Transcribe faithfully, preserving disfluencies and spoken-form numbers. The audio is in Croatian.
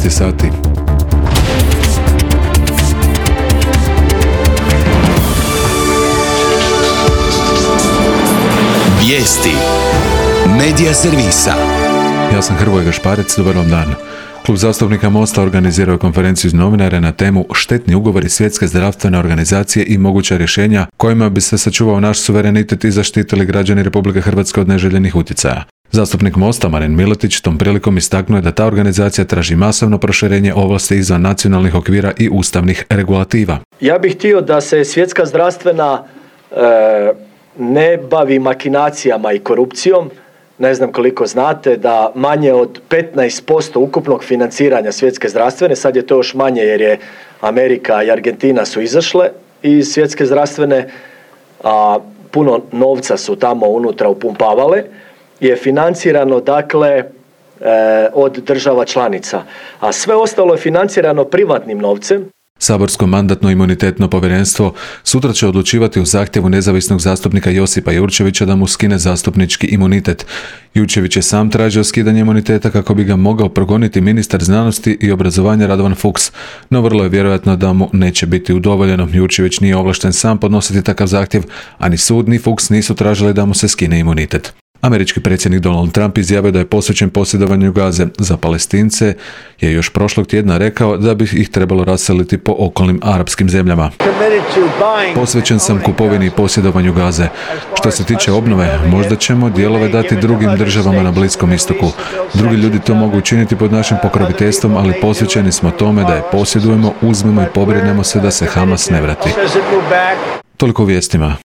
je sati. Vijesti Medija servisa. Ja sam Hrvoje Gašparec, dobar vam dan. Klub zastupnika Mosta organizirao je konferenciju za novinare na temu štetni ugovori Svjetske zdravstvene organizacije i moguća rješenja kojima bi se sačuvao naš suverenitet i zaštitili građani Republike Hrvatske od neželjenih utjecaja. Zastupnik Mosta Marin Miletić tom prilikom istaknuo je da ta organizacija traži masovno proširenje ovlasti izvan nacionalnih okvira i ustavnih regulativa. Ja bih htio da se Svjetska zdravstvena e, ne bavi makinacijama i korupcijom. Ne znam koliko znate da manje od petnaest posto ukupnog financiranja Svjetske zdravstvene, sad je to još manje jer je Amerika i Argentina su izašle iz Svjetske zdravstvene, a puno novca su tamo unutra upumpavale, je financirano dakle e, od država članica, a sve ostalo je financirano privatnim novcem. Saborsko mandatno-imunitetno povjerenstvo sutra će odlučivati o zahtjevu nezavisnog zastupnika Josipa Jurčevića da mu skine zastupnički imunitet. Jurčević je sam tražio skidanje imuniteta kako bi ga mogao progoniti ministar znanosti i obrazovanja Radovan Fuchs, no vrlo je vjerojatno da mu neće biti udovoljeno. Jurčević nije ovlašten sam podnositi takav zahtjev, a ni sud ni Fuchs nisu tražili da mu se skine imunitet. Američki predsjednik Donald Trump izjavio da je posvećen posjedovanju Gaze. Za Palestince je još prošlog tjedna rekao da bi ih trebalo raseliti po okolnim arapskim zemljama. Posvećen sam kupovini i posjedovanju Gaze. Što se tiče obnove, možda ćemo dijelove dati drugim državama na Bliskom istoku. Drugi ljudi to mogu učiniti pod našim pokroviteljstvom, ali posvećeni smo tome da je posjedujemo, uzmemo i pobrinemo se da se Hamas ne vrati. Toliko u vijestima.